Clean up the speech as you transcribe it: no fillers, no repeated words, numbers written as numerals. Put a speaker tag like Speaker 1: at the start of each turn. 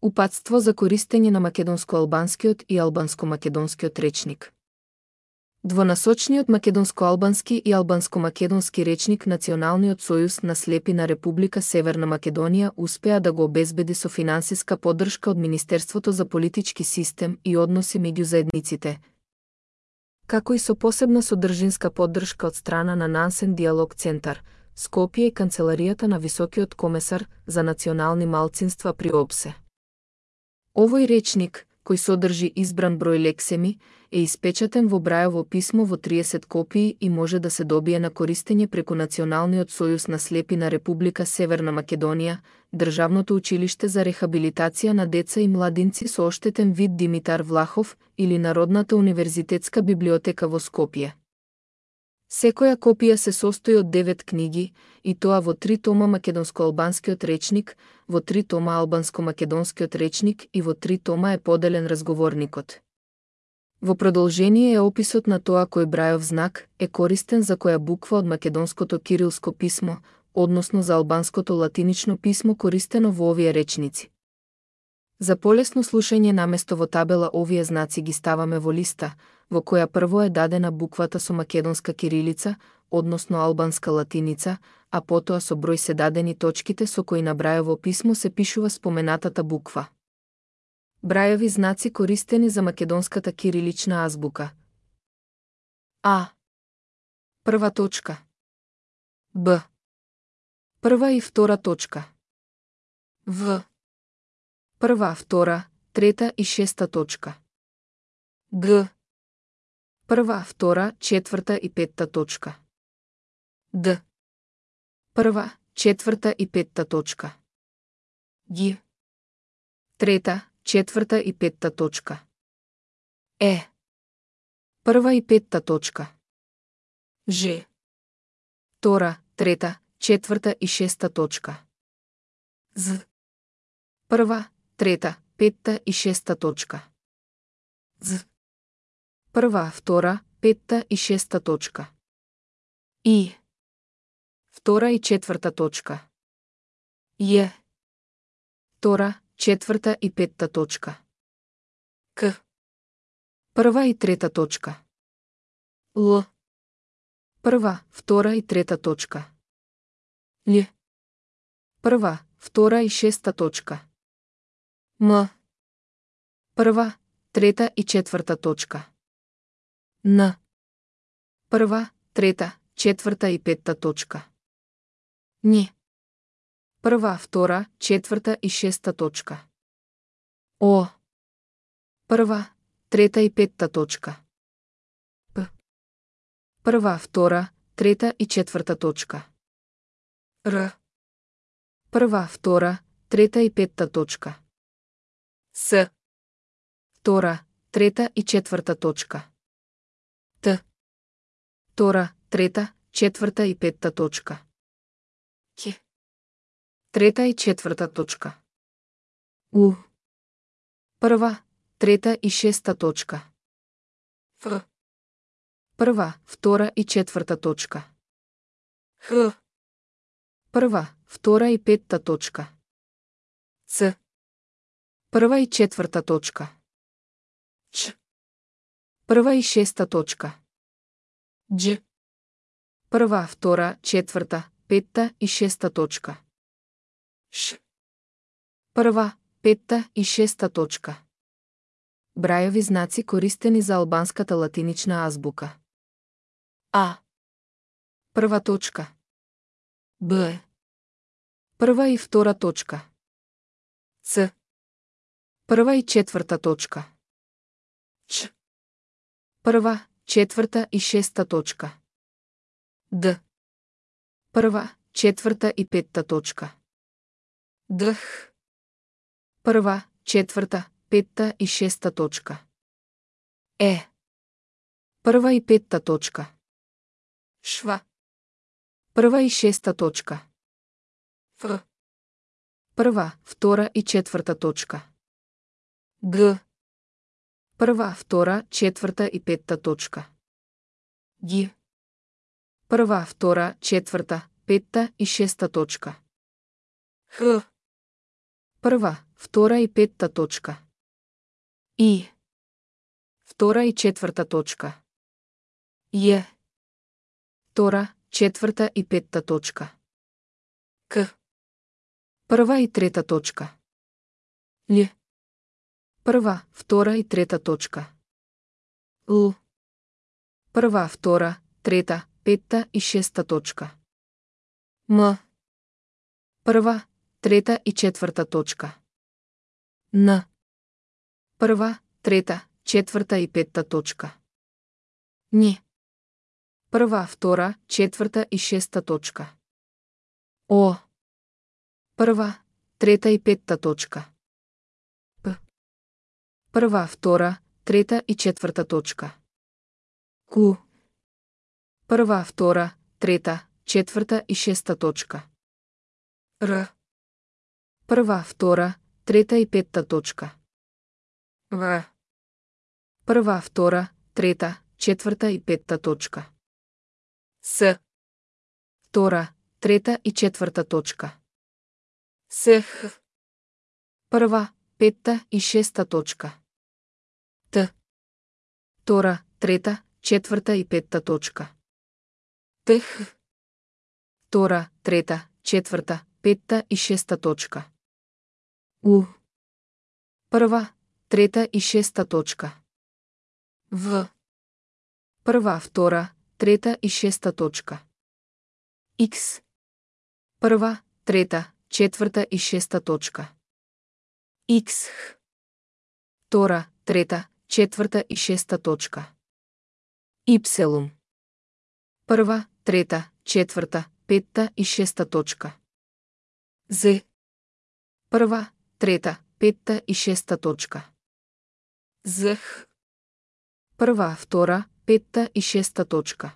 Speaker 1: Упатство за користење на македонско-албанскиот и албанско-македонскиот речник. Двонасочниот македонско-албански и албанско-македонски речник Националниот сојуз на слепи на Република Северна Македонија успеа да го обезбеди со финансиска поддршка од Министерството за политички систем и односи меѓу заедниците, како и со посебна содржинска поддршка од страна на Нансен Диалог Центар, Скопје и Канцеларијата на Високиот комесар за национални малцинства при ОБСЕ. Овој речник, кој содржи избран број лексеми, е испечатен во Брајово писмо во 30 копии и може да се добие на користење преку Националниот сојуз на слепи на Република Северна Македонија, Државното училиште за рехабилитација на деца и младинци со оштетен вид Димитар Влахов или Народната универзитетска библиотека во Скопје. Секоја копија се состои од 9 книги, и тоа во 3 тома македонско-албанскиот речник, во 3 тома албанско-македонскиот речник и во 3 тома е поделен разговорникот. Во продолжение е описот на тоа кој Брајов знак е користен за која буква од македонското кирилско писмо, односно за албанското латинично писмо користено во овие речници. За полесно слушање наместо во табела овие знаци ги ставаме во листа, во која прво е дадена буквата со македонска кирилица, односно албанска латиница, а потоа со број се дадени точките со кои на Брајово писмо се пишува споменатата буква. Брајови знаци користени за македонската кирилична азбука. А. Прва точка. Б. Прва и втора точка. В. Прва, втора, трета и шеста точка. Г. Прва, втора, четврта и петта точка. Д. Прва, четврта и петта точка. Г. Трета, четврта и петта точка. Е. Прва и петта точка. Ж. Втора, трета, четврта и шеста точка. З. Прва, трета, петта и шеста точка. З. Прва, втора, петта и шеста точка. И. Втора и четврта точка. Ја. Втора, четврта и петта точка. К. Прва и трета точка. Л. Прва, втора и трета точка. Л. Прва, втора и шеста точка. М. Прва, трета и четврта точка. Н. Прва, трета, четврта и петта точка. Н. Прва, втора, четврта и шеста точка. О. Прва, трета и петта точка. П. Прва, втора, трета и четврта точка. Р. Прва, втора, трета и петта точка. С. Втора, трета и четврта точка. Т. Втора, трета, четврта и петта точка. Қ. Трета и четврта точка. У. Прва, трета и шеста точка. Ф. Прва, втора и четврта точка. Х. Прва, втора и петта точка. Ц. Прва и четврта точка. Ч. Прва и шеста точка. Дж. Прва, втора, четврта, петта и шеста точка. Ш. Прва, петта и шеста точка. Брајови знаци користени за албанската латинична азбука. А. Прва точка. Б. Прва и втора точка. Ц. Прва и четврта точка. Ч. Прва, четврта и шеста точка. Д. Прва, четврта и петта точка. Дх. Прва, четврта, петта и шеста точка. Е. Прва и петта точка. Шва. Прва и шеста точка. Ф. Прва, втора и четврта точка. Г. Прва, втора, четврта и петта точка. Г. Прва, втора, четврта, петта и шеста точка. Х. Прва, втора и петта точка. И. Втора и четврта точка. Е. Втора, четврта и петта точка. К. Прва и трета точка. Л. Прва, втора и трета точка. Л. Прва, втора, трета, петта и шеста точка. М. Прва, трета и четврта точка. Н. Прва, трета, четврта и петта точка. Н. Прва, втора, четврта и шеста точка. О. Прва, трета и петта точка. П. Прва, втора, трета и четврта точка. Q. Прва, втора, трета, четврта и шеста точка. Р. Прва, втора, трета и петта точка. В. Прва, втора, трета, четврта и петта точка. С. Втора, трета и четврта точка. С. Прва, петта и шеста точка. Т. Втора, трета, четврта и петта точка. Т. Втора, трета, четврта, петта и шеста точка. У. Прва, трета и шеста точка. В. Прва, втора, трета и шеста точка. Х. Прва, трета, четврта и шеста точка. Х. Втора, трета, четврта и шеста точка. Y. Прва, трета, четврта, петта и шеста точка. Z. Прва, трета, петта и шеста точка. Z. Прва, втора, петта и шеста точка.